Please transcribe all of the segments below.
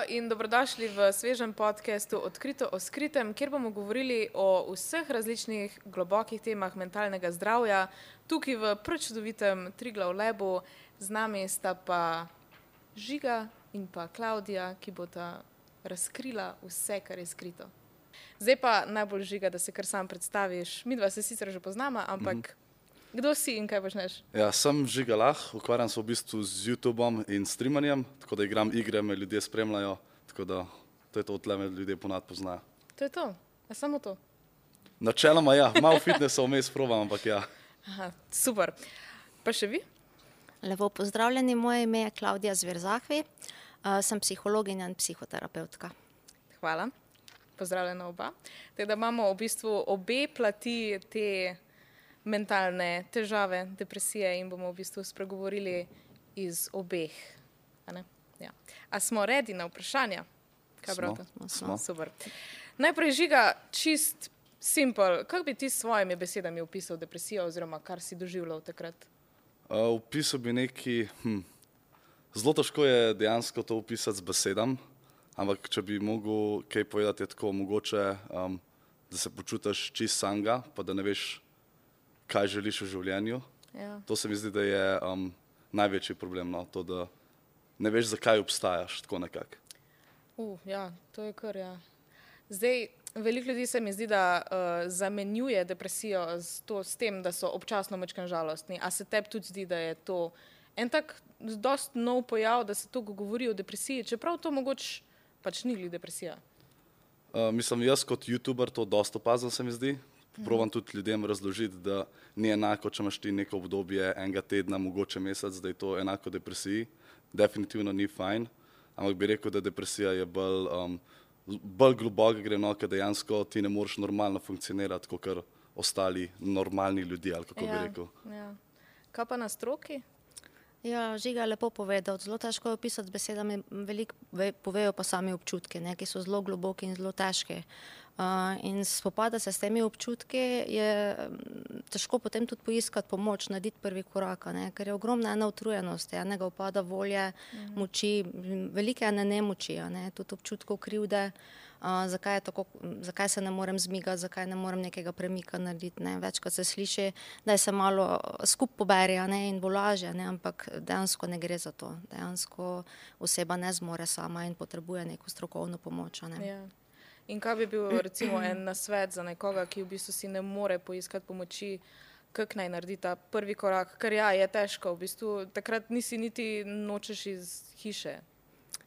in dobrodošli v svežem podcastu Odkrito o skritem, kjer bomo govorili o vseh različnih globokih temah mentalnega zdravja. Tukaj v prečudovitem Triglav Labu z nami sta pa Žiga in pa Klaudija, ki bosta razkrila vse, kar je skrito. Zdaj pa najbolj, Žiga, da se kar sam predstaviš. Midva se sicer že poznama, ampak kdo si in kaj počneš? Ja, sem Žiga Lah, ukvarjam se v bistvu z YouTubeom in streamanjem, tako da igram igre, me ljudje spremljajo, tako da to je to, odtle me ljudje ponad poznajo. To je to? A samo to? Načeloma ja, malo fitnessa vmes probam, ampak ja. Aha, super. Pa še vi? Lepo pozdravljeni, moje ime je Klaudija Zverzahvi, sem psihologinja in psihoterapeutka. Hvala, pozdravljena oba. Tako da imamo v bistvu obe plati te mentalne težave, depresije in bomo v bistvu spregovorili iz obeh. A ne? Ja. A smo ready na vprašanja? Kaj brate? Smo. Super. Najprej, Žiga, čist simple. Kako bi ti s svojimi besedami opisal depresijo oziroma kar si doživljal takrat? Opisal bi zelo težko je dejansko to opisati z besedami, ampak če bi mogel kaj povedati, je tako mogoče, da se počutiš čist samega, pa da ne veš, kaj želiš v življenju. Ja. To se mi zdi, da je največji problem, no? To, da ne veš, zakaj obstajaš, tako nekako. Ja, to je kar, ja. Zdaj, veliko ljudi se mi zdi, da zamenjuje depresijo s tem, da so občasno majčkeno žalostni. A se tebi tudi zdi, da je to en tak dost nov pojav, da se toliko govori o depresiji, čeprav to mogoče pač ni glih depresija? Mislim, jaz kot YouTuber to dosta opazim, se mi zdi. Probam tudi ljudem razložiti, da ni enako, če imaš ti neko obdobje enega tedna, mogoče mesec, da je to enako depresiji. Definitivno ni fajn, ampak bi rekel, da depresija je bolj globoka gre, no, ker dejansko ti ne moreš normalno funkcionirati, kot ostali normalni ljudje, ali kako bi rekel. Ja. Kaj pa na stroki? Ja, Žiga je lepo povedal, zelo težko je opisati z besedami, veliko povejo pa sami občutki, ki so zelo globoki in zelo težki. In spopada se s temi občutki je težko potem tudi poiskati pomoč, narediti prvi korak, ker je ogromna ena utrujenost, enega upada volje, moči, velike ene nemoči, tudi občutkov krivde, zakaj se ne morem zmigati, zakaj ne morem nekega premika narediti. Večkrat se sliši, da se malo skup pobere in bo lažje, ampak dejansko ne gre za to. Dejansko oseba ne zmore sama in potrebuje neko strokovno pomoč. Ja. In kaj bi bil recimo en nasvet za nekoga, ki v bistvu si ne more poiskati pomoči, kako naj naredi ta prvi korak? Ker ja, je težko, v bistvu takrat nisi niti nočeš iz hiše.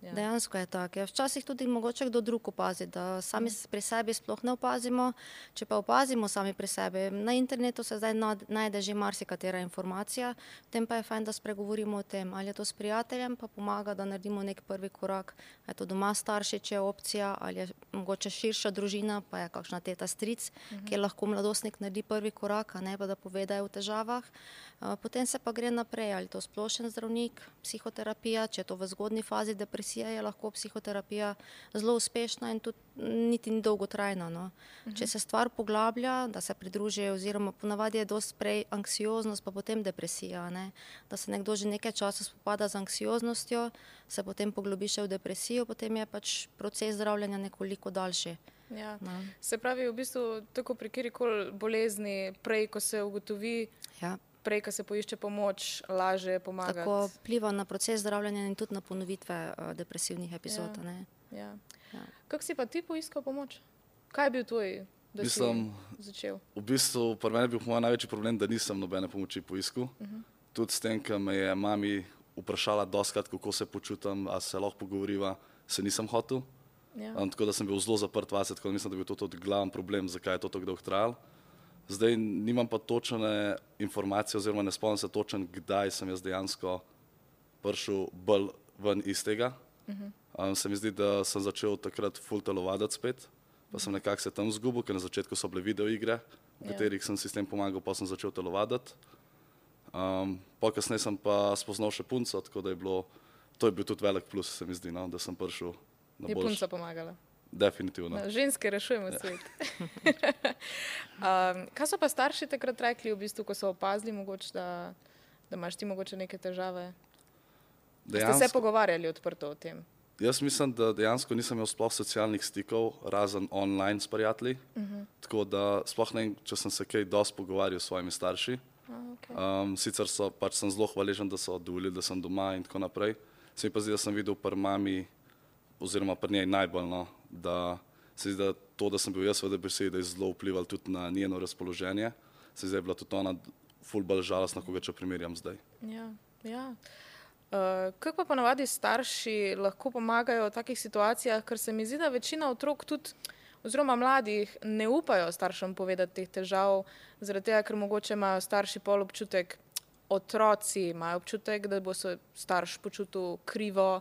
Ja. Dejansko je tako. Včasih tudi mogoče kdo drug opazi, da sami pri sebi sploh ne opazimo. Če pa opazimo sami pri sebi, na internetu se zdaj najde že marsikatera informacija, potem pa je fajn, da spregovorimo o tem, ali je to s prijateljem, pa pomaga, da naredimo nek prvi korak. Je to doma starši, če je opcija, ali je mogoče širša družina, pa je kakšna teta, stric, kjer lahko mladostnik naredi prvi korak, pa da pove, da je v težavah. Potem se pa gre naprej, ali to splošen zdravnik, psihoterapija, če je to v zgodnji fazi depresije, je lahko psihoterapija zelo uspešna in tudi niti ni dolgotrajna. No. Če se stvar poglablja, da se pridruži, oziroma ponavadi je dosti prej anksioznost, pa potem depresija. Da se nekdo že nekaj časa spopada z anksioznostjo, se potem poglobi še v depresijo, potem je pač proces zdravljenja nekoliko daljši. Ja. No. Se pravi, v bistvu tako pri kjerikoli bolezni, prej, ko se ugotovi, prej, ko se poišče pomoč, lažje pomagati. Tako vpliva na proces zdravljenja in tudi na ponovitve depresivnih epizod. Ja. Kako si pa ti poiskal pomoč? Kaj je bil tvoj, da si začel? V bistvu, pri meni je bil moj največji problem, da nisem nobene pomoči poiskal. Tudi s tem, ker me je mami vprašala dostikrat, kako se počutim, a se lahko pogovoriva, se nisem hotel. Ja. Tako da sem bil zelo zaprt vase, tako da mislim, da je bil to tudi glaven problem, zakaj je to tako dolgo trajalo. Zdaj nimam pa točne informacije oziroma ne spomnim se točen, kdaj sem jaz dejansko prišel bolj ven iz tega. Se mi zdi, da sem začel takrat ful telovaditi spet, pa sem nekako se tam zgubil, ker na začetku so bile videoigre, v katerih sem si s tem pomagal, pa sem začel telovaditi. Po kasneje sem pa spoznal še punco, tako da to je bil tudi velik plus, se mi zdi, no, da sem prišel na boljše. Je punca pomagala? Definitivno. Ženske rešujemo svet. Kaj so pa starši takrat rekli, v bistvu, ko so opazili, mogoče, da imaš ti mogoče neke težave? Ste se pogovarjali odprto o tem? Jaz mislim, da dejansko nisem imel sploh socialnih stikov, razen online s prijatelji. Tako da sploh ne vem, če sem se kaj dosti pogovarjal s svojimi starši. Sicer sem zelo hvaležen, da so dovolili, da sem doma in tako naprej. Se mi pa zdi, da sem videl pri mami oziroma pri njej najbolj, no, da se zdi, da to, da sem bil jaz v depresiji, da je zelo vplival tudi na njeno razpoloženje. Se zdi, da je bila tudi ona ful bolj žalostna, ko ga če primerjam zdaj. Ja. Kako pa ponavadi starši lahko pomagajo v takih situacijah, ker se mi zdi, da večina otrok tudi, oziroma mladih, ne upajo staršem povedati teh težav, zaradi tega, ker mogoče imajo starši pol občutek, otroci imajo občutek, da bo se starš počutil krivo,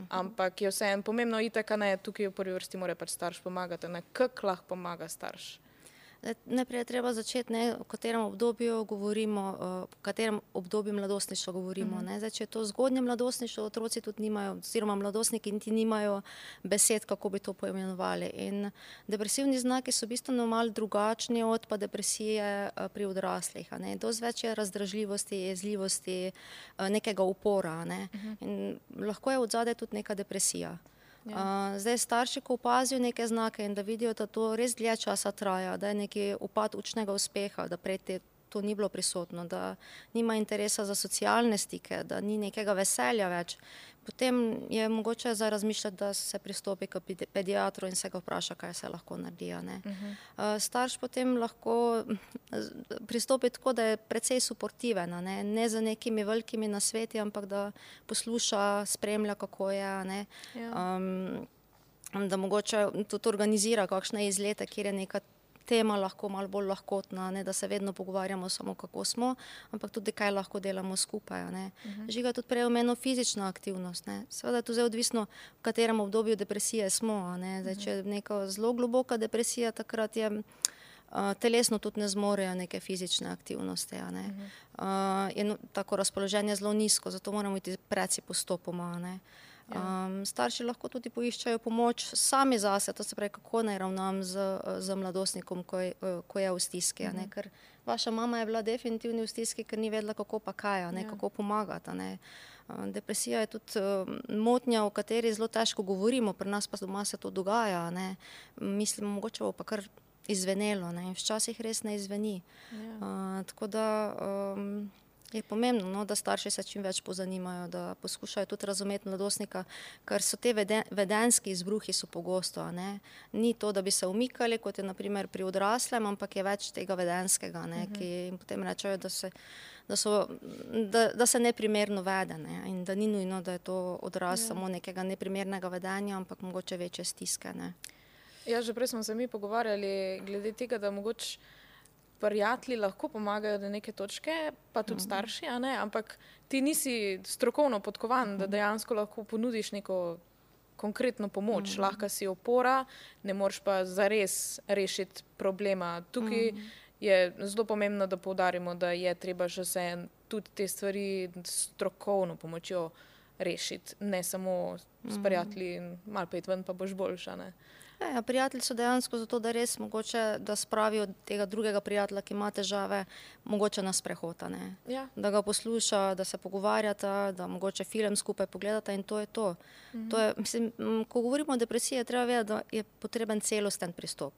ampak je vseeno pomembno itak, ne, tukaj v prvi vrsti mora pač starš pomagati, ne, kako lahko pomaga starš? Najprej je treba začeti, v katerem obdobju govorimo, v katerem obdobju mladostništva govorimo. Zdaj, če je to zgodnje mladostništvo, otroci tudi nimajo, oziroma mladostniki niti nimajo besed, kako bi to poimenovali. In depresivni znaki so bistveno malo drugačni od pa depresije pri odraslih. Dosti več je razdražljivosti, jezljivosti, nekega upora. In lahko je odzadaj tudi neka depresija. Zdaj starši, ko opazijo neke znake in da vidijo, da to res dlje časa traja, da je neki upad učnega uspeha, da prej to ni bilo prisotno, da nima interesa za socialne stike, da ni nekega veselja več, potem je mogoče za razmišljati, da se pristopi k pediatru in se ga vpraša, kaj se lahko naredi. Starš potem lahko pristopi tako, da je precej suportiven, ne za nekimi velikimi nasveti, ampak da posluša, spremlja, kako je, da mogoče tudi organizira kakšne izlete, kjer je neka tema lahko malo bolj lahkotna, da se vedno pogovarjamo samo, kako smo, ampak tudi, kaj lahko delamo skupaj. Žiga tudi prej omenil fizična aktivnost. Seveda je to zdaj odvisno, v katerem obdobju depresije smo. Zdaj, če je neka zelo globoka depresija, takrat je telesno tudi ne zmorejo neke fizične aktivnosti. Je tako razpoloženje zelo nizko, zato moramo iti preci postopoma. Starši lahko tudi poiščajo pomoč sami zase, to se pravi, kako naj ravnam z mladostnikom, ko je v stiski. Ker vaša mama je bila definitivno v stiski, ker ni vedela, kako pa kaj, kako pomagati. Depresija je tudi motnja, o kateri zelo težko govorimo, pri nas pa doma se to dogaja. Mislim, mogoče bo pa kar izvenelo, in včasih res ne izveni. Tako da je pomembno, da starši se čim več pozanimajo, da poskušajo tudi razumeti mladostnika, ker so te vedenski izbruhi so pogosto. Ni to, da bi se umikali, kot je na primer pri odraslem, ampak je več tega vedenskega, ki jim potem rečejo, da se neprimerno vede, in da ni nujno, da je to odraz samo nekega neprimernega vedenja, ampak mogoče večje stiske. Ja, že prej smo se mi pogovarjali glede tega, da mogoče prijatelji lahko pomagajo do neke točke, pa tudi starši, ampak ti nisi strokovno podkovan, da dejansko lahko ponudiš neko konkretno pomoč. Lahko si opora, ne moreš pa zares rešiti problema. Tukaj je zelo pomembno, da poudarimo, da je treba že se tudi te stvari strokovno pomočjo rešiti, ne samo s prijatelji in malo pet ven, pa boš boljša. Prijatelji so dejansko zato, da res mogoče, da spravijo tega drugega prijatelja, ki ima težave, mogoče na sprehod. Da ga posluša, da se pogovarjata, da mogoče film skupaj pogledata in to je to. Mislim, ko govorimo o depresiji, je treba vedeti, da je potreben celosten pristop.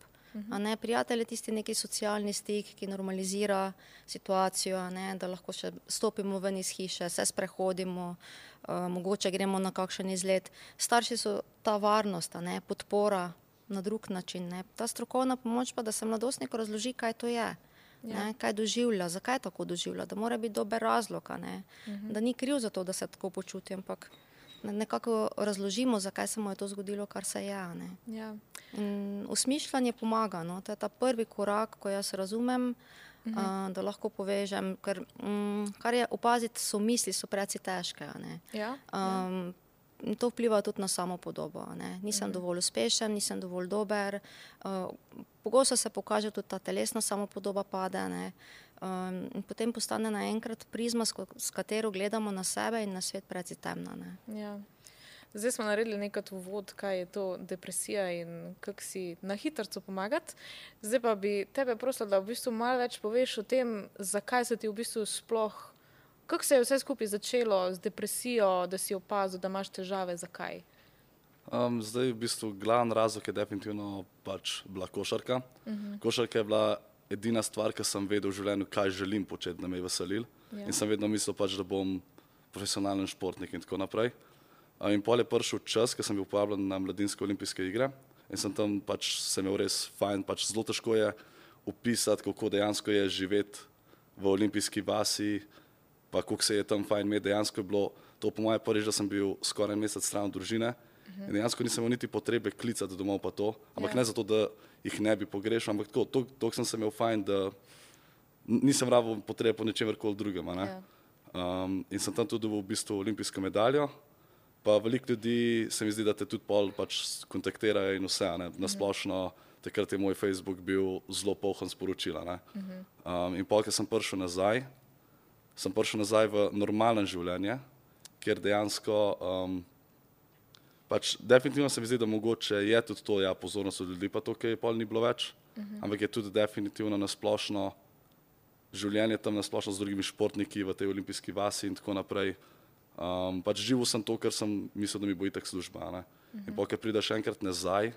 Prijatelj je tisti neki socialni stik, ki normalizira situacijo, da lahko še stopimo ven iz hiše, se sprehodimo, mogoče gremo na kakšen izlet. Starši so ta varnost, podpora na drug način. Ta strokovna pomoč pa, da se mladostniku razloži, kaj to je, kaj doživlja, zakaj tako doživlja, da mora biti dober razlog, da ni kriv za to, da se tako počuti, ampak nekako razložimo, zakaj se mu je to zgodilo, kar se je. Osmišljanje pomaga, to je ta prvi korak, ko jaz razumem, da lahko povežem, ker kar je opaziti, so misli, so preci težke. To vpliva tudi na samo podobo. Nisem dovolj uspešen, nisem dovolj dober. Pogosto se pokaže tudi ta telesna samopodoba pade. In potem postane naenkrat prizma, s katero gledamo na sebe in na svet preci temna. Zdaj smo naredili nekaj uvod, kaj je to depresija in kako si na hitrco pomagati. Zdaj pa bi tebe prosila, da v bistvu malo več poveš o tem, zakaj se ti v bistvu sploh, kako se je vse skupaj začelo z depresijo, da si opazil, da imaš težave, zakaj? Zdaj v bistvu glavni razlog je definitivno pač bila košarka. Košarka je bila edina stvar, ki sem vedel v življenju, kaj želim početi, da me je veselil. In sem vedno mislil pač, da bom profesionalen športnik in tako naprej. In pol je prišel čas, ko sem bil povabljen na mladinske olimpijske igre in sem tam pač se imel res fajn, pač zelo težko je opisati, kako dejansko je živeti v olimpijski vasi, pa kako se je tam fajn imeti. Dejansko je bilo to po moje prvič, da sem bil skoraj mesec stran od družine in dejansko nisem imel niti potrebe klicati domov pa to, ampak ne zato, da jih ne bi pogrešal, ampak tako, toliko sem se imel fajn, da nisem rabil potrebe po ničemerkoli drugem. In sem tam tudi dobil v bistvu olimpijsko medaljo. Pa veliko ljudi se mi zdi, da te tudi pol pač kontaktirajo in vse. Na splošno, takrat je moj Facebook bil zelo poln sporočila. In pol, ko sem prišel nazaj v normalno življenje, kjer dejansko, pač definitivno se mi zdi, da mogoče je tudi to, ja, pozornost od ljudi, pa to, kaj pol ni bilo več, ampak je tudi definitivno na splošno življenje tam na splošno z drugimi športniki v tej olimpijski vasi in tako naprej. Pač živel sem to, kar sem mislil, da mi bo itak služba. In pol, ko prideš enkrat nazaj,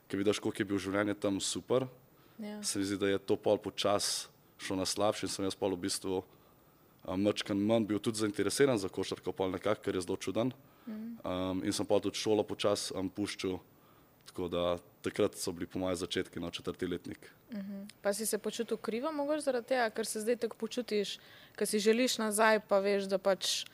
ko vidiš, koliko je bil življenje tam super, se mi zdi, da je to pol počas šlo na slabše in sem jaz pol v bistvu mačkan manj bil tudi zainteresiran za košarko pol nekako, ker je zelo čuden. In sem pol tudi šolo počas puščal, tako da takrat so bili po moje začetki na 4. letnik. Pa si se počutil krivo mogoče zaradi tega, ker se zdaj tako počutiš, ker si želiš nazaj, pa veš, da pač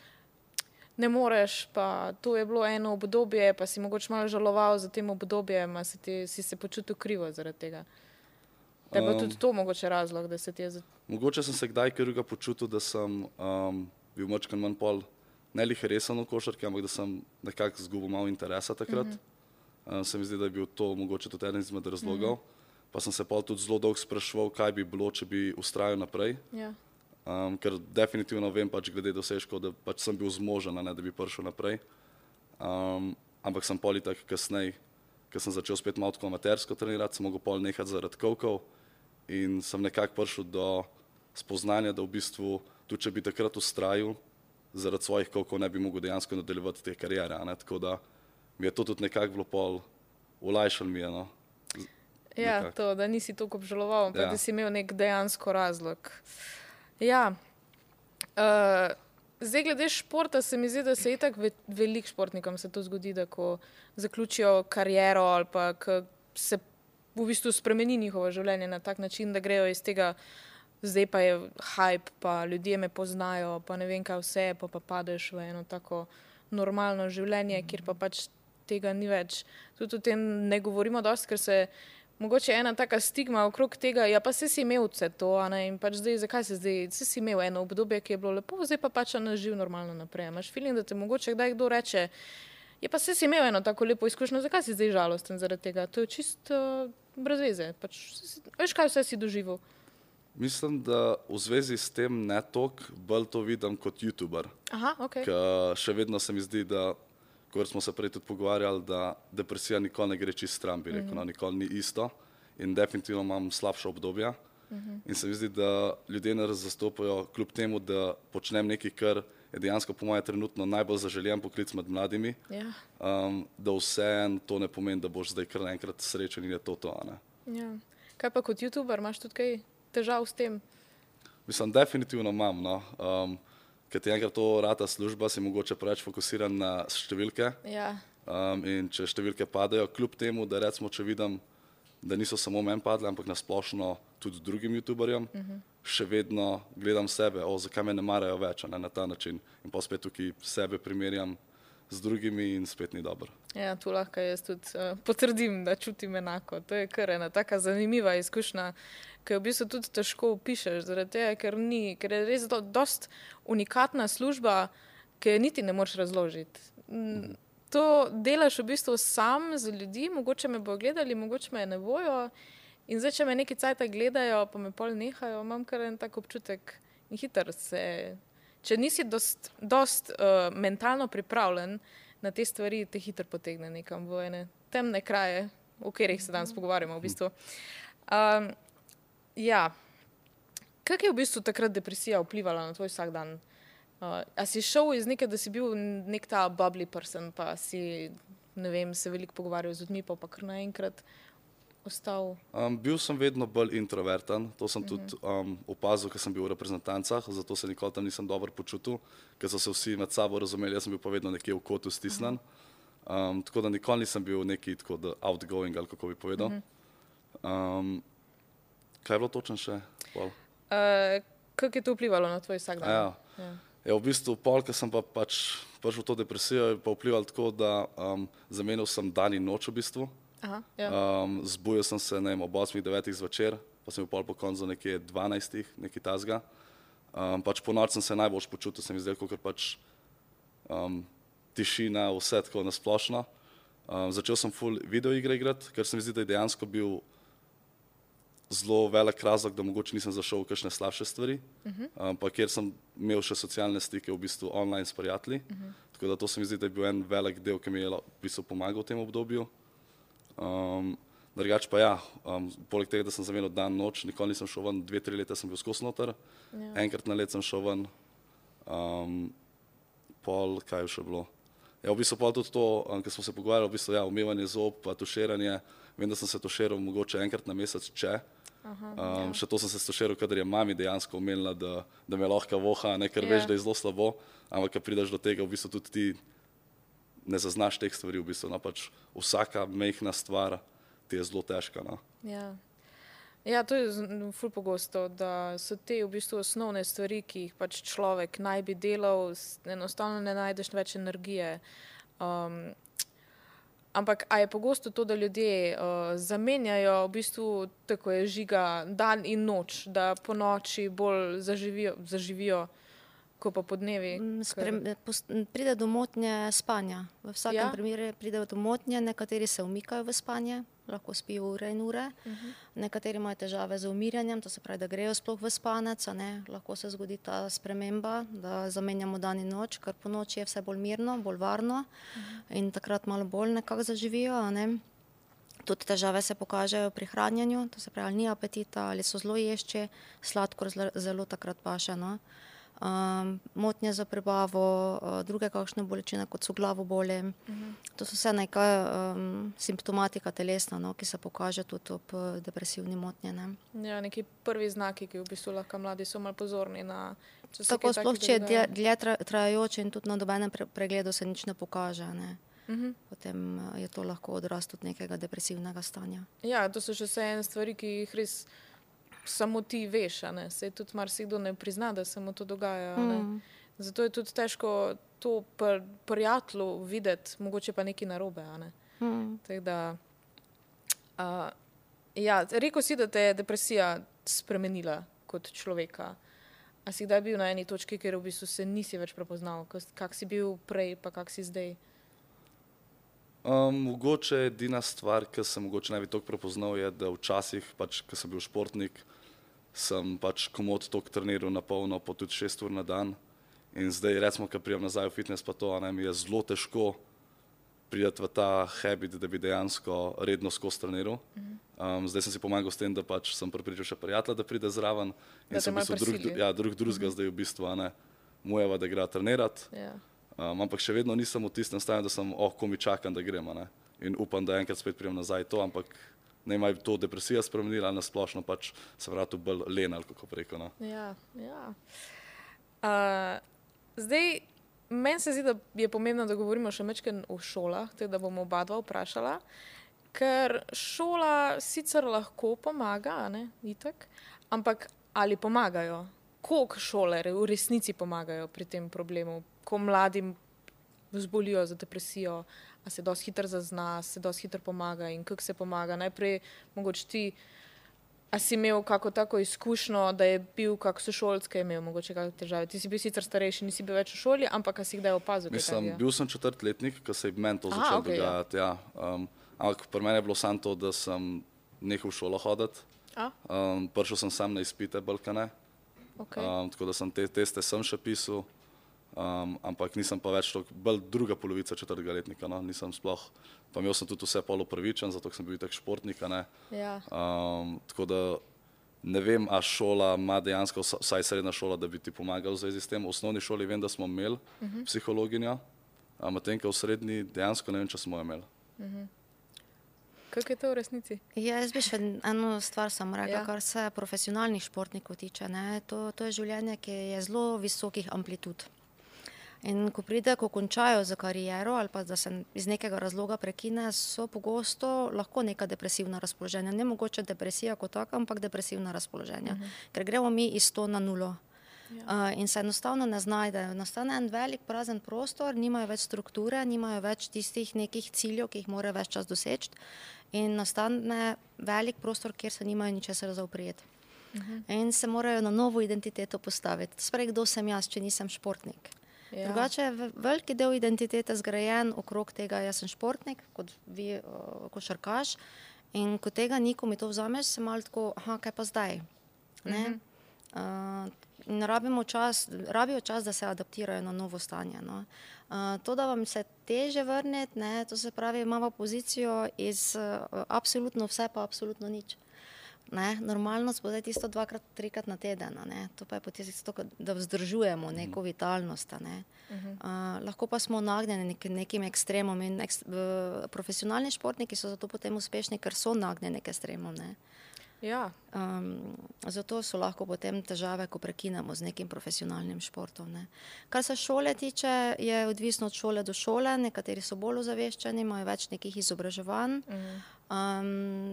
ne moreš, pa to je bilo eno obdobje, pa si mogoče malo žaloval za tem obdobjem, a si se počutil krivo zaradi tega. Da je bilo tudi to mogoče razlog, da se ti je... Mogoče sem se kdaj krivega počutil, da sem bil mačkan manj pol ne lih resen v košarki, ampak da sem nekako zgubil malo interesa takrat. Se mi zdi, da je bil to mogoče tudi eden izmed razlogov. Pa sem se pol tudi zelo dolgo spraševal, kaj bi bilo, če bi ustrajal naprej. Ker definitivno vem pač glede dosežkov, da pač sem bil zmožen, da bi prišel naprej. Ampak sem pol itak kasneje, ker sem začel spet malo tako amatersko trenirati, sem mogel pol nehati zaradi kovkov in sem nekako prišel do spoznanja, da v bistvu tudi če bi takrat ustrajal, zaradi svojih kovkov ne bi mogel dejansko nadaljevati te kariere. Tako da mi je to tudi nekako bilo pol olajšalo mi je. Ja, to, da nisi toliko obžaloval, pa da si imel nek dejansko razlog. Ja, zdaj glede športa se mi zdi, da se itak veliko športnikom se to zgodi, da ko zaključijo kariero ali pa se v bistvu spremeni njihovo življenje na tak način, da grejo iz tega, zdaj pa je hype, pa ljudje me poznajo, pa ne vem kaj vse, pa padeš v eno tako normalno življenje, kjer pa pač tega ni več. Tudi o tem ne govorimo dosti, ker se mogoče ena taka stigma okrog tega, ja pa si imel vse to, in pač zdaj, zakaj si imel eno obdobje, ki je bilo lepo, zdaj pa pač živ normalno naprej. Imaš feeling, da te mogoče kdaj kdo reče, ja pa si imel eno tako lepo izkušnjo, zakaj si zdaj žalosten zaradi tega? To je čisto brez veze. Pač, veš, kaj vse si doživel? Mislim, da v zvezi s tem ne toliko, bolj to vidim kot youtuber. Aha, ok. Ker še vedno se mi zdi, da kot smo se prej tudi pogovarjali, da depresija nikoli ne gre čist stran, bi rekel, nikoli ni isto in definitivno imam slabša obdobja. In se mi zdi, da ljudje nas zastopajo kljub temu, da počnem nekaj, kar je dejansko po moje trenutno najbolj zaželjen poklic med mladimi, da vseeno to ne pomeni, da boš zdaj kar naenkrat srečen in je to. Ja. Kaj pa kot youtuber, imaš tudi kaj težav s tem? Mislim, definitivno imam, ker ti enkrat to rata služba, si mogoče preveč fokusiran na številke. In če številke padajo, kljub temu, da recimo, če vidim, da niso samo meni padle, ampak na splošno tudi drugim youtuberjem, še vedno gledam sebe, zakaj me ne marajo več, na ta način. In pa spet tukaj sebe primerjam z drugimi in spet ni dobro. Ja, tu lahko jaz tudi potrdim, da čutim enako. To je kar ena taka zanimiva izkušnja, ki v bistvu tudi težko opišeš, zaradi tega, ker je res dost unikatna služba, ki niti ne moreš razložiti. To delaš v bistvu sam z ljudi, mogoče me bojo gledali, mogoče me ne bojo. In zdaj, če me neki cajta gledajo, pa me pol nehajo, imam kar en tak občutek in hitro se... Če nisi dost mentalno pripravljen na te stvari, te hitro potegne nekam v ene temne kraje, o katerih se danes pogovarjamo v bistvu. Ja, kako je v bistvu takrat depresija vplivala na tvoj vsak dan? A si šel iz nekaj, da si bil nek ta bubbly person, pa si ne vem, se veliko pogovarjal z ljudmi, pa kar naenkrat ostal? Bil sem vedno bolj introverten, to sem tudi opazil, ker sem bil v reprezentancah, zato se nikoli tam nisem dobro počutil, ker so se vsi med sabo razumeli, jaz sem bil pa vedno nekje v kotu stisnen. Tako da nikoli nisem bil neki tako outgoing, ali kako bi povedal. Kaj je bilo točno še? Kako je to vplivalo na tvoj vsakdan? Ja, v bistvu pol, ker sem pa pač prišel v to depresijo, je pa vplivalo tako, da zamenjal sem dan in noč v bistvu. Zbudil sem se, ne vem, ob 8-9 zvečer, pa sem bil pol po koncu nekje 12, nekaj tazga. Pač po noč sem se najbolj počutil, sem izdelal, ker pač tišina, vse tako nasplošno. Začel sem full videoigre igrati, ker se mi zdi, da je dejansko bil zelo velik razlog, da mogoče nisem zašel v kakšne slabše stvari, pa kjer sem imel še socialne stike v bistvu online s prijatelji, tako da to se mi zdi, da je bil en velik del, ki mi je v bistvu pomagal v tem obdobju. Drugače pa ja, poleg tega, da sem zamenjal dan, noč, nikoli nisem šel ven, 2-3 leta sem bil skozi noter, enkrat na let sem šel ven, kaj je še bilo. Ja, v bistvu pa tudi to, ker smo se pogovarjali, v bistvu ja, umivanje zob, pa tuširanje, vem, da sem se tuširal mogoče enkrat na mesec, še to sem se tuširal, kadar je mami dejansko omenila, da me lahko voha, ne, ker veš, da je zelo slabo, ampak kad prideš do tega, v bistvu tudi ti ne zaznaš teh stvari, v bistvu, no, pač vsaka majhna stvar ti je zelo težka, no. Ja, to je ful pogosto, da so te v bistvu osnovne stvari, ki jih pač človek naj bi delal, enostavno ne najdeš več energije. Ampak a je pogosto to, da ljudje zamenjajo v bistvu, tako je Žiga, dan in noč, da po noči bolj zaživijo, ko pa po dnevi? Pride do motnje spanja. V vsakem primeru pride do motnje, nekateri se umikajo v spanje, lahko spijo ure in ure, nekateri imajo težave z umirjanjem, to se pravi, da grejo sploh v spanec, lahko se zgodi ta sprememba, da zamenjamo dan in noč, ker po noči je vse bolj mirno, bolj varno in takrat malo bolj nekako zaživijo. Tudi težave se pokažejo pri hranjenju, to se pravi, ali ni apetita, ali so zelo ješči, sladkor zelo takrat paše. Motnje za prebavo, druge kakšne bolečine, kot so glavoboli. To so vse nekaj simptomatika telesna, ki se pokaže tudi ob depresivni motnji. Ja, neki prvi znaki, ki v bistvu lahko mladi so malo pozorni na... Tako sploh, če je dlje trajajoče in tudi na dobenem pregledu se nič ne pokaže. Potem je to lahko odraz tudi nekega depresivnega stanja. Ja, to so še vse ene stvari, ki jih res samo ti veš, saj tudi marsikdo ne prizna, da se mu to dogaja. Zato je tudi težko to prijatelju videti, mogoče pa nekaj narobe. Tako da, ja, rekel si, da te je depresija spremenila kot človeka. A si kdaj bil na eni točki, kjer v bistvu se nisi več prepoznal? Kak si bil prej, pa kak si zdaj? Mogoče edina stvar, ki sem mogoče najbolj toliko prepoznal, je, da včasih, pač, ko sem bil športnik, sem pač komod toliko treniral na polno, po tudi 6 ur na dan. In zdaj, recimo, ko prijem nazaj v fitness, pa to, mi je zelo težko priti v ta habit, da bi dejansko redno skozi treniral. Zdaj sem si pomagal s tem, da pač sem pripričal še prijatelja, da pride zraven. In sem v bistvu drugega zdaj v bistvu, mojeva, da igra trenirati. Ampak še vedno nisem v tistem stanju, da sem, ko mi čakam, da grem. In upam, da enkrat spet prijem nazaj to, ampak ne ima to depresija spremenila, ali nasplošno pač se vratu bolj len, ali kako preko. Ja. Zdaj, meni se zdi, da je pomembno, da govorimo še majčkeno o šolah, tako da bomo oba dva vprašala, ker šola sicer lahko pomaga, itak, ampak ali pomagajo? Koliko šole v resnici pomagajo pri tem problemu, ko mladim zbolijo za depresijo, a se dosti hitro zazna, se dosti hitro pomaga in kako se pomaga? Najprej mogoče ti, a si imel kako tako izkušnjo, da je bil kak sošolc, ki je imel mogoče kakšne težave? Ti si bil sicer starejši, nisi bil več v šoli, ampak a si kdaj opazil? Bil sem 4-letnik, ko se je meni to začelo dogajati. Ja. Ampak pri meni je bilo samo to, da sem nehal v šolo hoditi. Prišel sem sam na izpite Balkane. Tako da sem te teste sem še pisal, ampak nisem pa več bolj druga polovica 4. letnika, nisem sploh, pa imel sem tudi vse polopravičen, zato sem bil tak športnik, tako da ne vem, a šola ima dejansko, vsaj srednja šola, da bi ti pomagal v zvezi s tem. V osnovni šoli vem, da smo imeli psihologinjo, Medtem ko v srednji dejansko ne vem, če smo jo imeli. Kako je to v resnici? Ja, jaz bi še eno stvar samo rekla, kar se profesionalnih športnikov tiče. Ne? To je življenje, ki je zelo visokih amplitud. In ko pride, ko končajo za kariero ali pa da se iz nekega razloga prekine, so pogosto lahko neka depresivna razpoloženja. Ne mogoče depresija kot taka, ampak depresivna razpoloženja. Ker gremo mi iz 100 na 0. In se enostavno ne znajdejo. Nastane en velik prazen prostor, nimajo več strukture, nimajo več tistih nekih ciljev, ki jih morajo več čas doseči. In nastane velik prostor, kjer se nimajo ničesar za oprijeti. In se morajo na novo identiteto postaviti. Sprej, kdo sem jaz, če nisem športnik? Drugače je veliki del identitete zgrajen okrog tega, jaz sem športnik, kot vi košarkaš. In ko tega ni, ko mi to vzameš, se malo tako, kaj pa zdaj? In rabijo čas, da se adaptirajo na novo stanje. No. To, da vam se teže vrneti, ne, to se pravi, imamo pozicijo iz absolutno vse pa absolutno nič. Ne, normalnost bo zdaj tisto 2-3 na teden, ne. To pa je potem tisto, da vzdržujemo neko vitalnost. Ne. Lahko pa smo nagnjeni nekim ekstremom in profesionalni športniki so zato potem uspešni, ker so nagnjeni k ekstremom. Ne. Ja. Zato so lahko potem težave, ko prekinemo z nekim profesionalnim športom. Ne. Kar se šole tiče, je odvisno od šole do šole, nekateri so bolj ozaveščeni, imajo več nekih izobraževanj.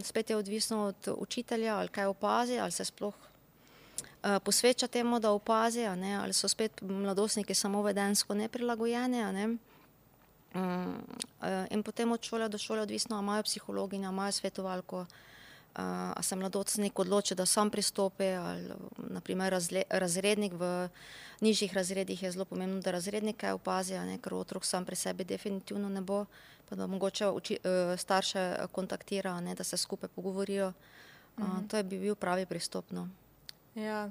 Spet je odvisno od učitelja, ali kaj opazi, ali se sploh posveča temu, da opazi, ali so spet mladostniki samo vedensko neprilagojeni. Ne. In potem od šole do šole odvisno, a imajo psihologinjo, imajo svetovalko, a se mladostnik odloči, da sam pristopi, ali naprimer razrednik v nižjih razredih je zelo pomembno, da razrednike opazi, ker otrok sam pri sebi definitivno ne bo, pa da mogoče starše kontaktira, da se skupaj pogovorijo. To bi bil pravi pristop. No. Ja,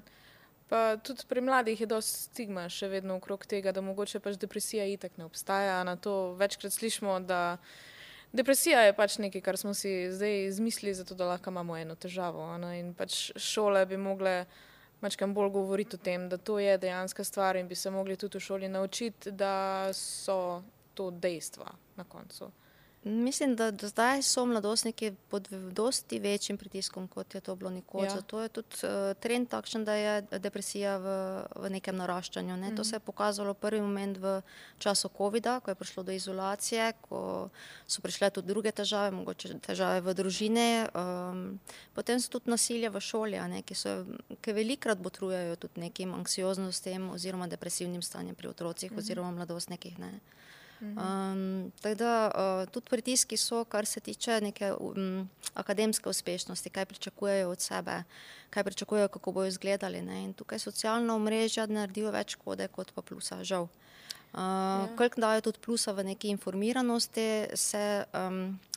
pa tudi pri mladih je dosti stigma še vedno okrog tega, da mogoče pač depresija itak ne obstaja. Na to večkrat slišimo, da depresija je pač nekaj, kar smo si zdaj izmislili, zato da lahko imamo eno težavo. In pač šole bi mogle mačkam bolj govoriti o tem, da to je dejanska stvar in bi se mogli tudi v šoli naučiti, da so to dejstva na koncu. Mislim, da do zdaj so mladostniki pod dosti večjim pritiskom, kot je to bilo nekoč. Zato je tudi trend takšen, da je depresija v nekem naraščanju. Ne. To se je pokazalo prvi moment v času covida, ko je prišlo do izolacije, ko so prišle tudi druge težave, mogoče težave v družini. Potem so tudi nasilje v šoli, ki velikrat botrujejo tudi nekim anksioznostem oziroma depresivnim stanjem pri otrocih oziroma mladostnikih. Ne. Tako da tudi pritiski so, kar se tiče neke akademske uspešnosti, kaj pričakujejo od sebe, kaj pričakujejo, kako bojo izgledali. Ne? In tukaj socialna omrežja naredijo več škode kot pa plusa, žal. Koliko dajo tudi plusa v neki informiranosti,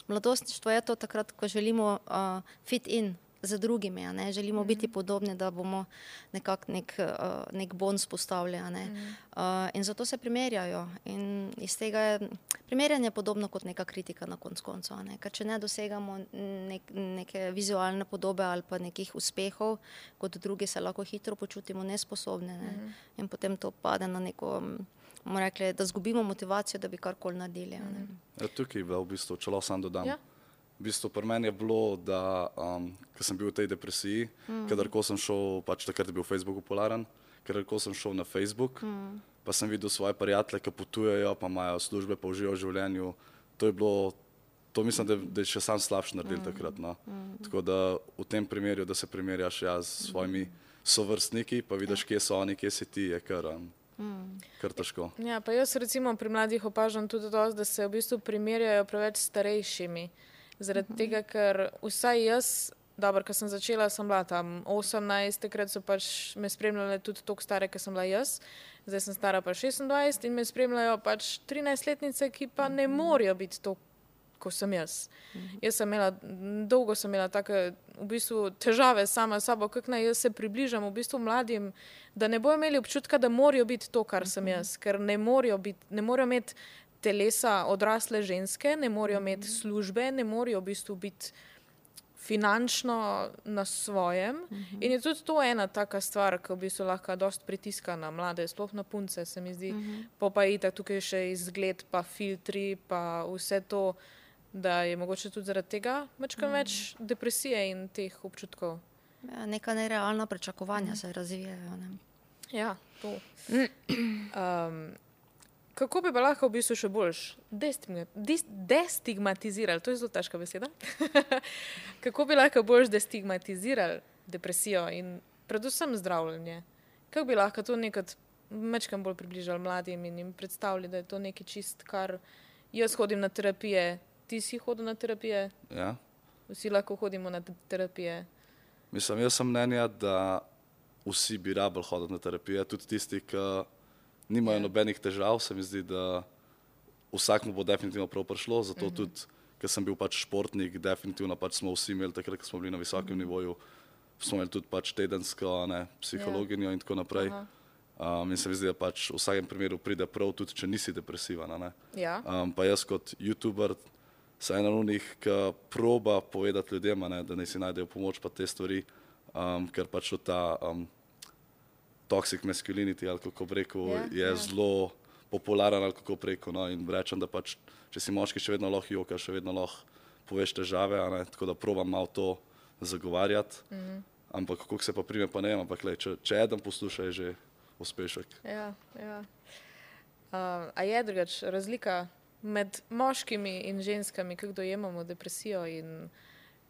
mladostništvo je to takrat, ko želimo fit in za drugimi, želimo biti podobni, da bomo nekako nek bon spostavili. In zato se primerjajo. In iz tega je primerjanje podobno kot neka kritika na koncu. Ker če ne dosegamo neke vizualne podobe ali pa nekih uspehov, kot drugi se lahko hitro počutimo nesposobni. In potem to pade na neko, bomo rekli, da zgubimo motivacijo, da bi karkoli naredili. Tukaj v bistvu, če lahko sam dodam. V bistvu pri meni je bilo, da ko sem bil v tej depresiji, kadarko sem šel, pač takrat je bil Facebook popularen, kadarko sem šel na Facebook, pa sem videl svoje prijatelje, ki potujejo, pa imajo službe, pa uživajo v življenju. To je bilo, to mislim, da je še sam slabše naredil takrat. No. Tako da v tem primeru, da se primerjaš s svojimi sovrstniki, pa vidiš, kje so oni, kje si ti, je kar težko. Ja, pa jaz recimo pri mladih opažam tudi dosti, da se v bistvu primerjajo preveč starejšimi. Zaradi tega, ker vsaj jaz, dobro, ko sem začela, sem bila tam 18, takrat so pač me spremljale tudi toliko stare, ko sem bila jaz. Zdaj sem stara pa 26 in me spremljajo pač 13-letnice, ki pa ne morajo biti to, ko sem jaz. Dolgo sem imela take v bistvu težave sama s sabo, kako naj jaz se približam v bistvu mladim, da ne bojo imeli občutka, da morajo biti to, kar sem jaz, ker ne morajo imeti telesa odrasle ženske, ne morajo imeti službe, ne morajo v bistvu biti finančno na svojem. In je tudi to ena taka stvar, ki v bistvu lahko dosti pritiska na mlade, sploh na punce, se mi zdi. Pa itak tukaj še izgled, pa filtri, pa vse to, da je mogoče tudi zaradi tega več depresije in teh občutkov. Ja, neka nerealna pričakovanja se razvijajo. Ne? Ja, to. Kako bi pa lahko v bistvu še bolj destigmatizirali, to je zelo težka beseda, kako bi lahko bolj destigmatizirali depresijo in predvsem zdravljenje? Kako bi lahko to nekaj mečkam bolj približali mladim in jim predstavili, da je to nekaj čist, kar jaz hodim na terapije, ti si hodil na terapije? Ja. Vsi lahko hodimo na terapije. Mislim, jaz sem mnenja, da vsi bi rabili hoditi na terapije, tudi tisti, ki nimajo nobenih težav, se mi zdi, da vsakmu bo definitivno prav prišlo, zato tudi, ker sem bil pač športnik, definitivno pač smo vsi imeli takrat, ko smo bili na visokem nivoju, smo imeli tudi pač tedensko psihologinjo in tako naprej. In se mi zdi, da pač v vsakem primeru pride prav, tudi če nisi depresivan. Ja. Pa jaz kot youtuber sem ena od njih, ki proba povedati ljudem, da naj si najdejo pomoč pa te stvari, ker pač ta toxic masculinity, ali kako bi rekel, je zelo popularen, ali kako bi rekel, in rečem, da pač, če si moški, še vedno lahko jokaš, še vedno lahko poveš težave, tako da probam malo to zagovarjati, ampak kako se pa prime, pa ne vem, ampak če eden posluša, je že uspešek. Ja. A je drugač razlika med moškimi in ženskami, kako dojemamo depresijo in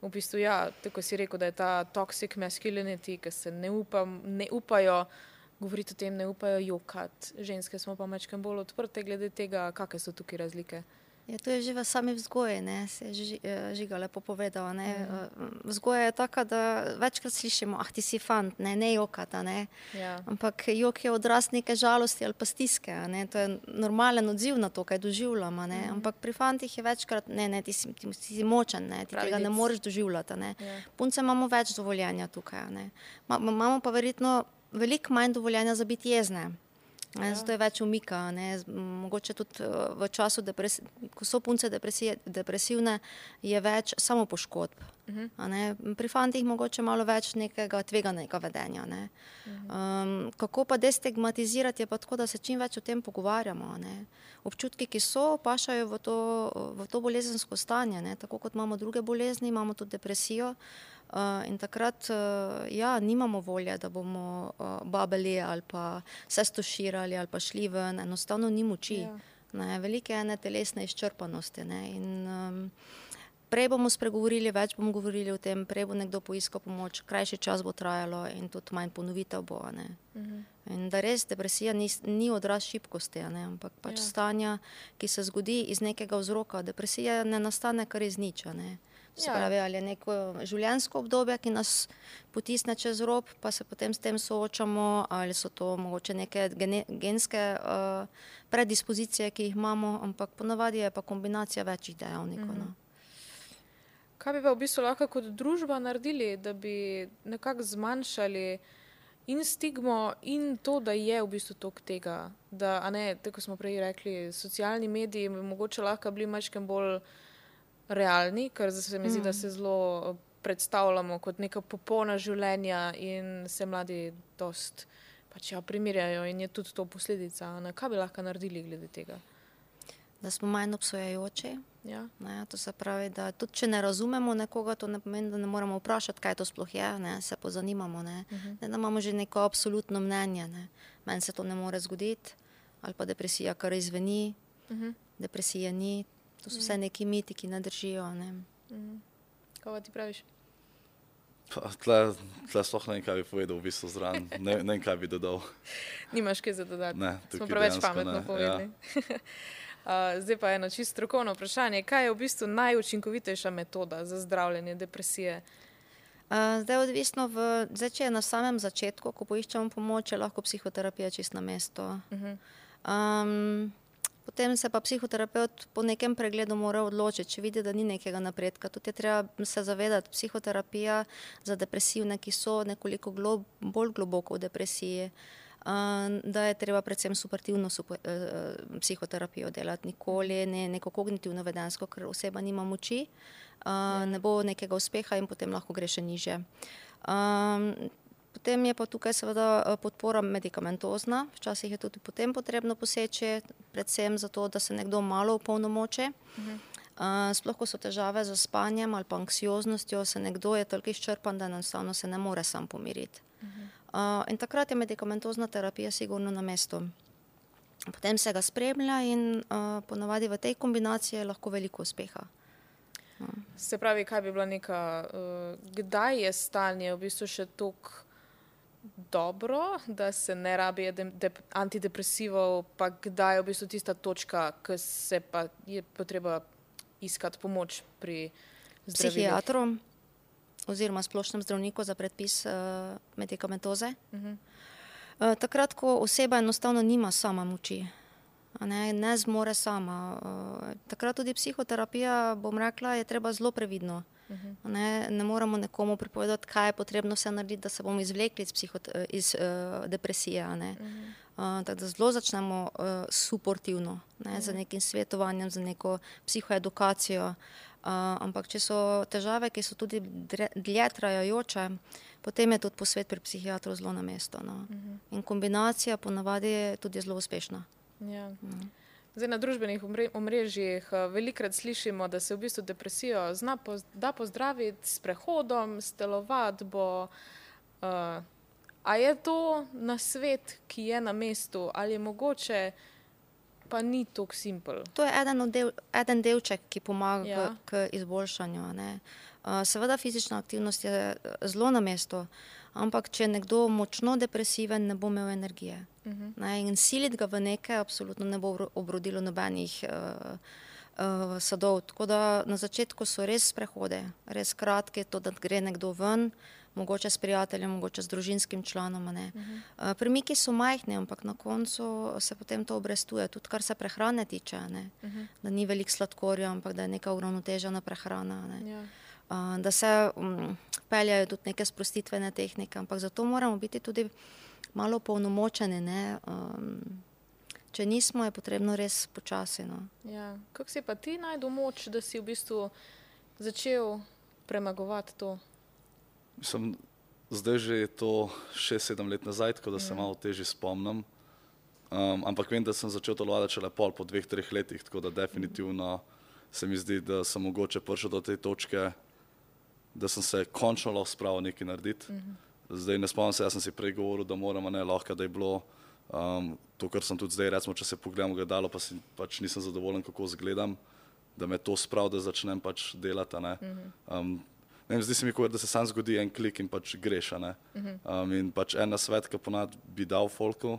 v bistvu, tako si rekel, da je ta toxic masculinity, ki se ne upajo govoriti o tem, ne upajo jokati. Ženske smo pa mečkam bolj odprte glede tega, kakve so tukaj razlike. Ja, to je že v sami vzgoji, ne, se je Žiga lepo povedala, ne. Vzgoja je taka, da večkrat slišimo, ti si fant, ne jokata, ne. Ja. Ampak jok je odraz neke žalosti ali pa stiske, ne, to je normalen odziv na to, kaj doživljamo, ne. Ampak pri fantih je večkrat, ne, ti si močen, ne, ti tega ne moreš doživljati, ne. Ja. Punce imamo več dovoljenja tukaj, ne. Imamo pa verjetno veliko manj dovoljenja za biti jezne. Zato je več umika, ne. Mogoče tudi v času, ko so punce depresivne, je več samopoškodb. Pri fantih mogoče malo več nekega tveganega vedenja. Ne. Kako pa destigmatizirati, je pa tako, da se čim več o tem pogovarjamo. Ne. Občutki, ki so, pašajo v to bolezensko stanje. Ne. Tako kot imamo druge bolezni, imamo tudi depresijo. In takrat, nimamo volje, da bomo babeli ali pa se stoširali ali pa šli ven, enostavno ni moči. Velike ene telesne izčrpanosti. Ne. In prej bomo spregovorili, več bomo govorili o tem, prej bo nekdo poiskal pomoč, krajši čas bo trajalo in tudi manj ponovitev bo. Ne. In da res depresija ni odraz šibkosti, ne, ampak pač stanja, ki se zgodi iz nekega vzroka. Depresija ne nastane kar iz nič, ne. Se pravi, ali je neko življenjsko obdobje, ki nas potisne čez rob, pa se potem s tem soočamo, ali so to mogoče neke genske predispozicije, ki jih imamo, ampak ponavadi je pa kombinacija večjih dejavnikov. Kaj bi pa v bistvu lahko kot družba naredili, da bi nekako zmanjšali in stigmo in to, da je v bistvu toliko tega, da, tako smo prej rekli, socialni mediji bi mogoče lahko bili majčkeno bolj realni, ker se mi zdi, da se zelo predstavljamo kot neka popolna življenja in se mladi dost primerjajo in je tudi to posledica. Kaj bi lahko naredili glede tega? Da smo manj obsojajoči. Ne, to se pravi, da tudi če ne razumemo nekoga, to ne pomeni, da ne moramo vprašati, kaj to sploh je, ne, se pozanimamo. Ne, da imamo že neko absolutno mnenje. Ne. Meni se to ne more zgoditi, ali pa depresija kar izveni, depresije ni. To so vse neki miti, ki ne držijo. Ne. Kaj ti praviš? Tle sploh ne vem, kaj bi povedal v bistvu zraven. Ne vem, kaj bi dodal. Nimaš kaj za dodati. Ne, smo preveč pametno povedali. Zdaj pa eno čisto strokovno vprašanje. Kaj je v bistvu najučinkovitejša metoda za zdravljenje depresije? Zdaj odvisno, če je na samem začetku, ko poiščemo pomoč, je lahko psihoterapija čisto na mesto. Potem se pa psihoterapeut po nekem pregledu mora odločiti, če vidi, da ni nekega napredka. Tudi je treba se zavedati, psihoterapija za depresivne, ki so nekoliko bolj globoko v depresiji, da je treba predvsem suportivno psihoterapijo delati, nikoli ne neko kognitivno vedensko, ker oseba nima moči, ne bo nekega uspeha in potem lahko gre še nižje. Potem je pa tukaj seveda podpora medikamentozna, včasih je tudi potem potrebno poseči, predvsem zato, da se nekdo malo opolnomoči. Sploh, ko so težave z spanjem ali pa anksioznostjo, se nekdo je toliko izčrpan, da enostavno se ne more sam pomiriti. In takrat je medikamentozna terapija sigurno na mestu. Potem se ga spremlja in ponavadi v tej kombinaciji je lahko veliko uspeha. Se pravi, kaj bi bila neka, kdaj je stanje v bistvu še toliko dobro, da se ne rabi antidepresivov, pa kdaj je v bistvu tista točka, ko se pa je potreba iskati pomoč pri zdravilih? Psihiatru oziroma splošnem zdravniku za predpis medikamentoze. Takrat, ko oseba enostavno nima sama moči, ne zmore sama. Takrat tudi psihoterapija, bom rekla, je treba zelo previdno. Ne moramo nekomu pripovedati, kaj je potrebno vse narediti, da se bomo izvlekli iz depresije. Tako da zelo začnemo suportivno, z nekim svetovanjem, z neko psihoedukacijo. Ampak če so težave, ki so tudi dlje trajajoče, potem je tudi posvet pri psihiatru zelo na mesto. In kombinacija ponavadi je tudi zelo uspešna. Ja. Zdaj, na družbenih omrežjih velikokrat slišimo, da se v bistvu depresijo da pozdraviti s prehodom, s telovadbo. A je to nasvet, ki je na mestu, ali je mogoče, pa ni tako simpel? To je eden delček, ki pomaga k izboljšanju. Seveda fizična aktivnost je zelo na mestu, ampak če je nekdo močno depresiven, ne bo imel energije. In siliti ga v nekaj absolutno ne bo obrodilo nobenih sadov. Tako da na začetku so res sprehode, res kratke, to, da gre nekdo ven, mogoče s prijateljem, mogoče s družinskim članom. Premiki so majhni, ampak na koncu se potem to obrestuje, tudi kar se prehrane tiče. Da ni veliko sladkorja, ampak da je neka uravnotežena prehrana. Da se peljajo tudi neke sprostitvene tehnike, ampak zato moramo biti tudi malo polnomočeni. Če nismo, je potrebno res počasi. Kako si pa ti našel moč, da si v bistvu začel premagovati to? Zdaj že je to 6-7 let nazaj, tako da se malo težje spomnim. Ampak vem, da sem začel telovaditi šele po 2-3 letih, tako da definitivno se mi zdi, da sem mogoče prišel do te točke, da sem se končno lahko spravil nekaj narediti. Zdaj ne spomnim se, jaz sem si prej govoril, da moramo, lahko, da je bilo to, kar sem tudi zdaj, recimo, če se pogledam v gledalo, pa pač nisem zadovoljen, kako izgledam, da me to spravi, da začnem pač delati. Zdi se mi, da se sam zgodi en klik in pač greš. In pač en nasvet, ki ponad bi dal folku,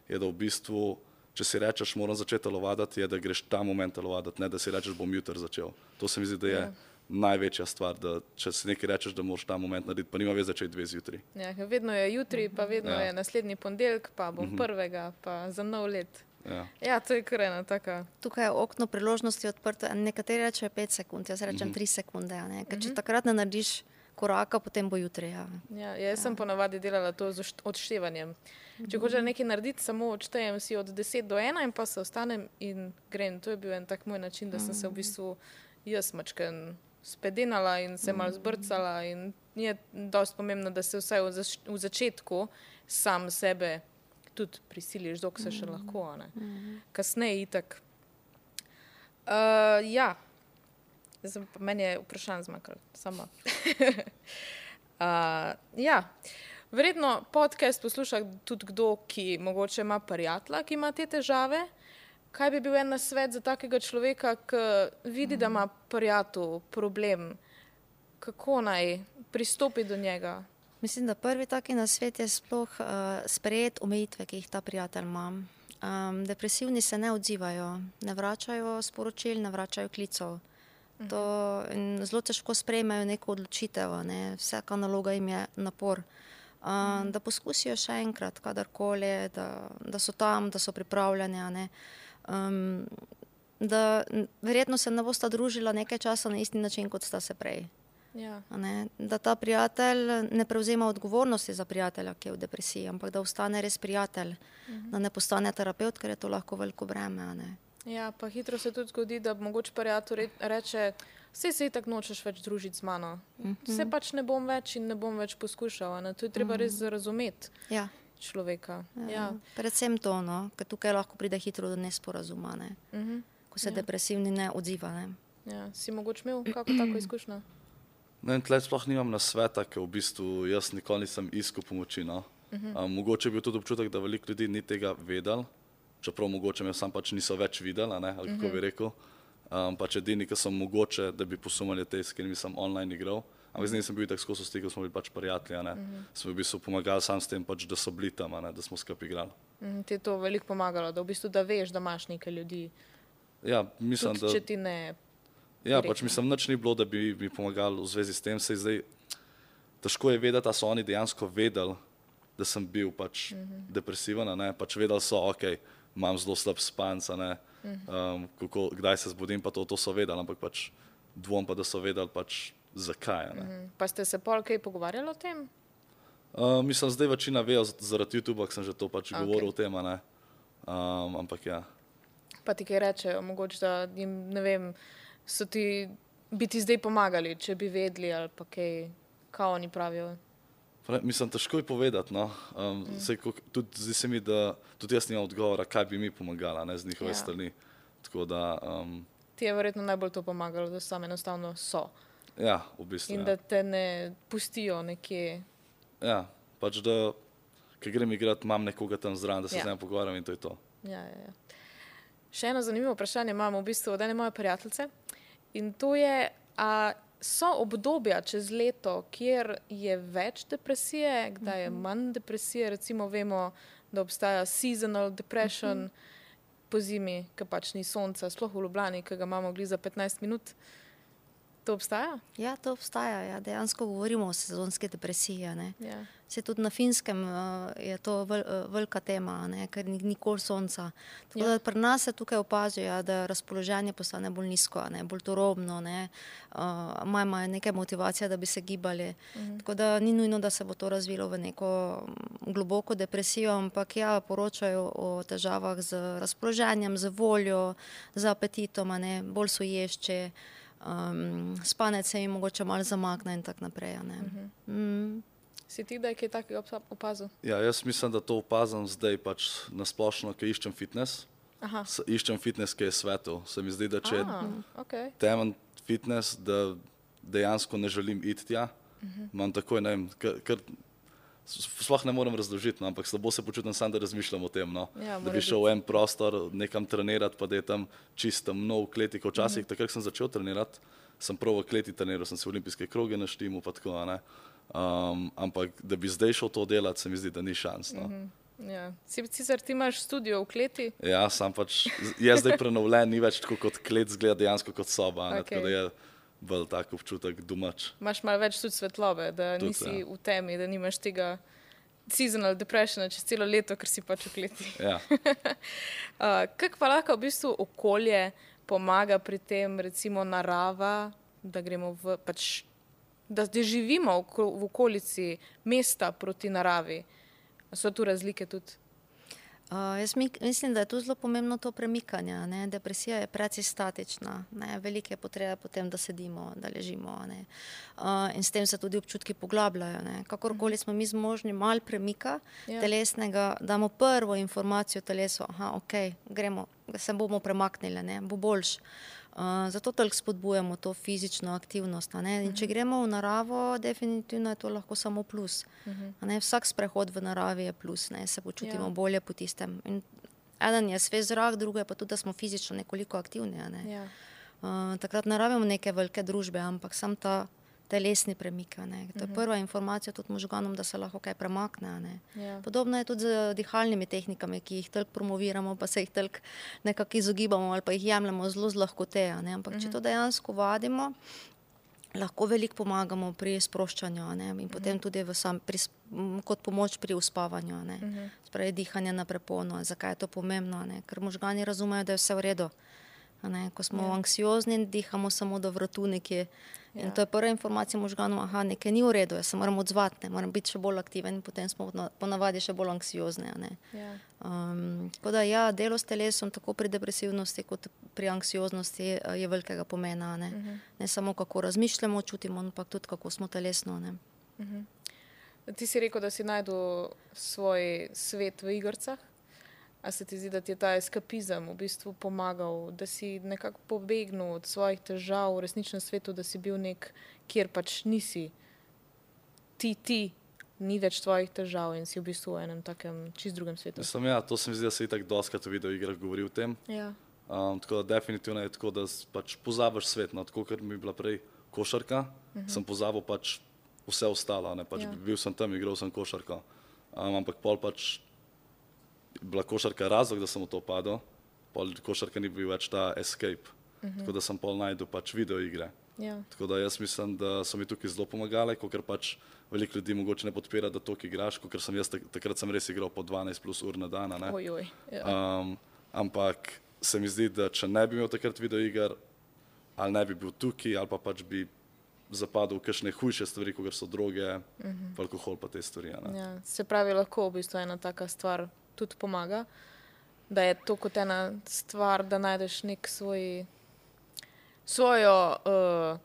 je, da v bistvu, če si rečeš, moram začeti telovaditi, je, da greš ta moment telovaditi, ne da si rečeš, bom jutri začel. To se mi zdi, da je največja stvar, da če si nekaj rečeš, da moraš ta moment narediti, pa nima veze, če je 2 zjutraj. Vedno je jutri, pa vedno je naslednji ponedeljek, pa bom prvega, pa za nov let. To je kar ena taka. Tukaj je okno priložnosti odprto, nekateri rečejo 5 sekund, jaz rečem 3 sekunde. Ker če takrat ne narediš koraka, potem bo jutri. Jaz sem ponavadi delala to z odštevanjem. Če hočem nekaj narediti, samo odštejem si od 10 do 1 in pa se ostanem in grem. To je bil en tak moj način, da sem se v bistvu jaz mačken spedenala in se malo zbrcala in je dosti pomembno, da se vsaj v začetku sam sebe tudi prisiliš, dok se še lahko. Kasneje itak. Meni je vprašanje zmakalo. Sama. Verjetno podcast posluša tudi kdo, ki mogoče ima prijatelja, ki ima te težave. Kaj bi bil en nasvet za takega človeka, ki vidi, da ima prijatelj problem? Kako naj pristopi do njega? Mislim, da prvi taki nasvet je sploh sprejeti omejitve, ki jih ta prijatelj ima. Depresivni se ne odzivajo, ne vračajo sporočil, ne vračajo klicev. Zelo težko sprejmejo neko odločitev, vsaka naloga jim je napor. Da poskusijo še enkrat, kadarkoli, da so tam, da so pripravljeni. Da verjetno se ne bosta družila nekaj časa na isti način, kot sta se prej. Ja. Da ta prijatelj ne prevzema odgovornosti za prijatelja, ki je v depresiji, ampak da ostane res prijatelj, da ne postane terapeut, ker je to lahko veliko breme. Ja, pa hitro se tudi zgodi, da mogoče prijatelj reče, se tako nočeš več družiti z mano. Se pač ne bom več in ne bom več poskušal. To je treba res razumeti človeka. Ja. Predvsem to, ker tukaj lahko pride hitro do nesporazuma, ko se depresivni ne odziva. Ja. Si mogoče imel kako tako izkušnjo? Tle sploh nimam nasveta, ker v bistvu jaz nikoli nisem iskal pomoči. Mogoče je bil tudi občutek, da veliko ljudi ni tega vedel, čeprav mogoče me sam pač niso več videli, ali kako bi rekel. Pač edini, ki sem mogoče, da bi posumali te, s katerimi sem online igral. Ampak z njim sem bil tako skozi stik, smo bili pač prijatelji. Smo v bistvu pomagali sam s tem, pač, da so bili tam, da smo skupaj igrali. Ti je to veliko pomagalo, da v bistvu da veš, da imaš nekaj ljudi. Ja, mislim, tudi, če ti ne... Ja, pač mislim, nič ni bilo, da bi mi pomagali v zvezi s tem. Zdaj, težko je vedeti, da so oni dejansko vedeli, da sem bil pač depresiven. Pač vedeli so, ok, imam zelo slab spanc, kdaj se zbudim, pa to so vedeli, ampak pač dvom pa, da so vedeli pač zakaj. Pa ste se pol kaj pogovarjali o tem? Mislim, zdaj večina vejo zaradi YouTube, ker sem že to pač govoril o tem, ampak ja. Pa ti kaj rečejo, mogoče, da jim, ne vem, bi ti zdaj pomagali, če bi vedeli ali pa kaj oni pravijo? Mislim, težko je povedati. Zdi se mi, da tudi jaz nimam odgovora, kaj bi mi pomagala z njihove strani. Tako da... Ti je verjetno najbolj to pomagalo, da sam enostavno so. Ja, v bistvu. In da te ne pustijo nekje. Ja, pač da, ker grem igrati, imam nekoga tam zraven, da se z njim pogovarjam in to je to. Ja. Še eno zanimivo vprašanje imamo v bistvu od ene moje prijateljice in to je, so obdobja čez leto, kjer je več depresije, kdaj je manj depresije, recimo vemo, da obstaja seasonal depression po zimi, ker pač ni sonca, sploh v Ljubljani, ki ga imamo gli za 15 minut. To obstaja? Ja, to obstaja. Ja. Dejansko govorimo o sezonski depresiji. Ja. Se tudi na Finskem je to velika tema, ker ni nikoli sonca. Tako da pri nas se tukaj opazi, da razpoloženje postane bolj nizko, bolj turobno, imajo nekaj motivacije, da bi se gibali. Tako da ni nujno, da se bo to razvilo v neko globoko depresijo, ampak poročajo o težavah z razpoloženjem, z voljo, z apetitom, bolj so ješči. Spanec se jim mogoče malo zamakne in tako naprej. Si ti, da je kaj takega opazil? Ja, jaz mislim, da to opazim zdaj pač nasplošno, ker iščem fitness. Iščem fitness, ki je svetu. Se mi zdi, da če je temen fitness, da dejansko ne želim iti tja, imam takoj, ne vem, ker sploh ne morem razložiti, ampak slabo se počutim sam, da razmišljam o tem, da bi šel v en prostor nekam trenirati, pa da je tam čisto nov kleti, ko včasih, takrat sem začel trenirati, sem prav v kleti treniral, sem se v olimpijske kroge naštimal, pa tako, ampak da bi zdaj šel to delati, se mi zdi, da ni šans. Ja. Sicer ti imaš studio v kleti? Ja, sam pač, je zdaj prenovljen, ni več tako kot klet, zgleda dejansko kot soba, tako da je bolj tak občutek domač. Imaš malo več tudi svetlobe, da nisi v temi, da nimaš tega seasonal depressiona čez celo leto, ker si pač v kleti. Ja. Kako pa lahko v bistvu okolje pomaga pri tem, recimo narava, da gremo da živimo v okolici mesta proti naravi? So tu razlike tudi? Jaz mislim, da je tu zelo pomembno to premikanje. Depresija je precej statična. Velike potrebe potem, da sedimo, da ležimo. In s tem se tudi občutki poglabljajo. Kakorkoli smo mi zmožni malo premika telesnega, damo prvo informacijo telesu, gremo, se bomo premaknili, bo boljš. Zato toliko spodbujamo to fizično aktivnost. In če gremo v naravo, definitivno je to lahko samo plus. Vsak sprehod v naravi je plus, se počutimo bolje po tistem. In eden je svež zrak, drugo je pa tudi, da smo fizično nekoliko aktivni. Takrat ne rabimo neke velike družbe, ampak sam ta telesni premik. To je prva informacija tudi možganom, da se lahko kaj premakne. Podobno je tudi z dihalnimi tehnikami, ki jih toliko promoviramo, pa se jih toliko nekako izogibamo ali pa jih jemljemo zelo z lahkote. Ampak če to dejansko vadimo, lahko veliko pomagamo pri sproščanju in potem tudi kot pomoč pri uspavanju. Spravi dihanje na prepono. Zakaj je to pomembno? Ker možgani razumejo, da je vse v redu. Ko smo anksiozni, dihamo samo do vratu nekje. In to je prva informacija možganov, nekaj ni v redu, jaz se moram odzvati, moram biti še bolj aktiven, potem smo ponavadi še bolj anksiozni. Tako da delo s telesom, tako pri depresivnosti kot pri anksioznosti je velikega pomena. Ne samo kako razmišljamo, čutimo, ampak tudi kako smo telesno. Ti si rekel, da si najdel svoj svet v igrcah. A se ti zdi, da ti je ta eskapizem v bistvu pomagal, da si nekako pobegnil od svojih težav v resničnem svetu, da si bil kjer pač nisi ti, ni več tvojih težav in si v bistvu v enem takem čist drugem svetu? To se mi zdi, da se itak doskrat v videoigrah govori o tem. Tako da definitivno je tako, da pač pozabiš svet. Tako, ker mi je bila prej košarka, sem pozabil pač vse ostalo. Bil sem tam, igral sem košarko. Ampak pol pač bila košarka razlog, da sem v to padel, pol košarka ni bil več ta escape, tako da sem pol najdel pač videoigre. Tako da jaz mislim, da so mi tukaj zelo pomagale, ker pač veliko ljudi mogoče ne podpira, da toliko igraš, ker sem jaz takrat sem res igral po 12 plus ur na dan. Ampak se mi zdi, da če ne bi imel takrat videoiger, ali ne bi bil tukaj, ali pa pač bi zapadel v kakšne hujše stvari, kot so droge, alkohol pa te stvari. Se pravi, lahko v bistvu ena taka stvar tudi pomaga, da je to kot ena stvar, da najdeš nek svojo,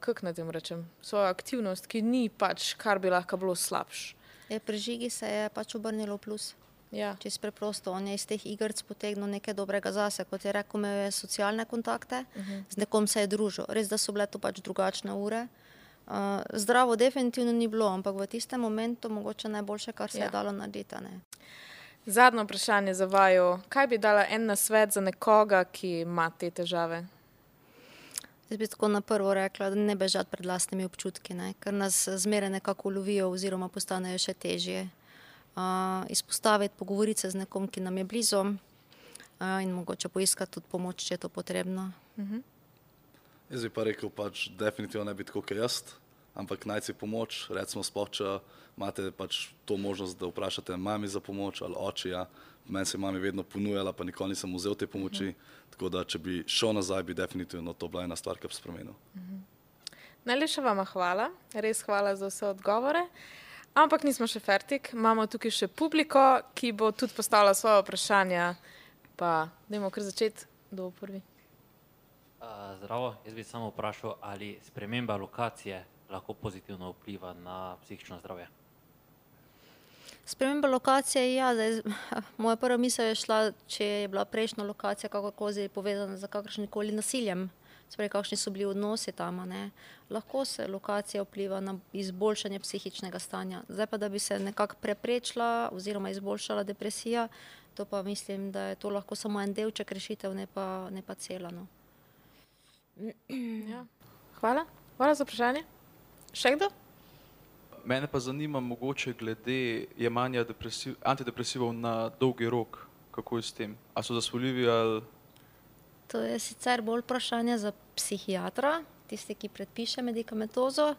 kako naj tem rečem, svojo aktivnost, ki ni pač, kar bi lahko bilo slabš. Pri Žigi se je pač obrnilo plus. Čisto preprosto, on je iz teh igrc potegnil nekaj dobrega zase, kot je rekel, imel je socialne kontakte, z nekom se je družil. Res, da so bile to pač drugačne ure. Zdravo definitivno ni bilo, ampak v tistem momentu mogoče najboljše, kar se je dalo narediti. Zadnje vprašanje za vaju. Kaj bi dala en nasvet za nekoga, ki ima te težave? Jaz bi tako na prvo rekla, da ne bežati pred lastnimi občutki, ker nas zmeraj nekako ulovijo oziroma postanejo še težje. Izpostaviti, pogovoriti se z nekom, ki nam je blizu in mogoče poiskati tudi pomoč, če je to potrebno. Jaz bi pa rekel, pač definitivno ne biti tako kot jaz, ampak najti si pomoč, recimo sploh, če imate pač to možnost, da vprašate mami za pomoč ali očija. Meni se mami vedno ponujala, pa nikoli nisem vzel te pomoči, tako da če bi šel nazaj, bi definitivno to bila ena stvar, ki bi spremenil. Najlepša vama hvala, res hvala za vse odgovore, ampak nismo še fertik, imamo tukaj še publiko, ki bo tudi postavila svoje vprašanja, pa dajmo kar začeti, kdo bo prvi. Zdravo, jaz bi samo vprašal, ali sprememba lokacije lahko pozitivno vpliva na psihično zdravje? Sprememba lokacije, moja prva misel je šla, če je bila prejšnja lokacija kakorkoli povezana z kakršnikoli nasiljem, sprej kakšni so bili odnosi tam, lahko se lokacija vpliva na izboljšanje psihičnega stanja. Zdaj pa, da bi se nekako preprečila oziroma izboljšala depresija, to pa mislim, da je to lahko samo en delček rešitev, ne pa cela. Hvala. Hvala za vprašanje. Še kdo? Mene pa zanima mogoče glede jemanja antidepresivov na dolgi rok. Kako je s tem? A so zasvoljivi ali... To je sicer bolj vprašanje za psihiatra, tisti, ki predpiše medikamentozo,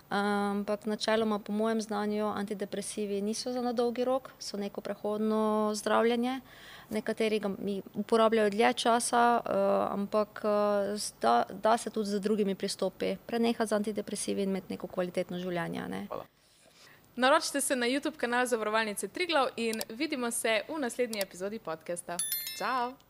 ampak načeloma po mojem znanju antidepresivi niso za na dolgi rok, so neko prehodno zdravljenje. Nekateri ga uporabljajo dlje časa, ampak da se tudi z drugimi pristopi prenehati z antidepresivi in imeti neko kvalitetno življenje. Hvala. Naročite se na YouTube kanal Zavarovalnice Triglav in vidimo se v naslednji epizodi podcasta. Čau!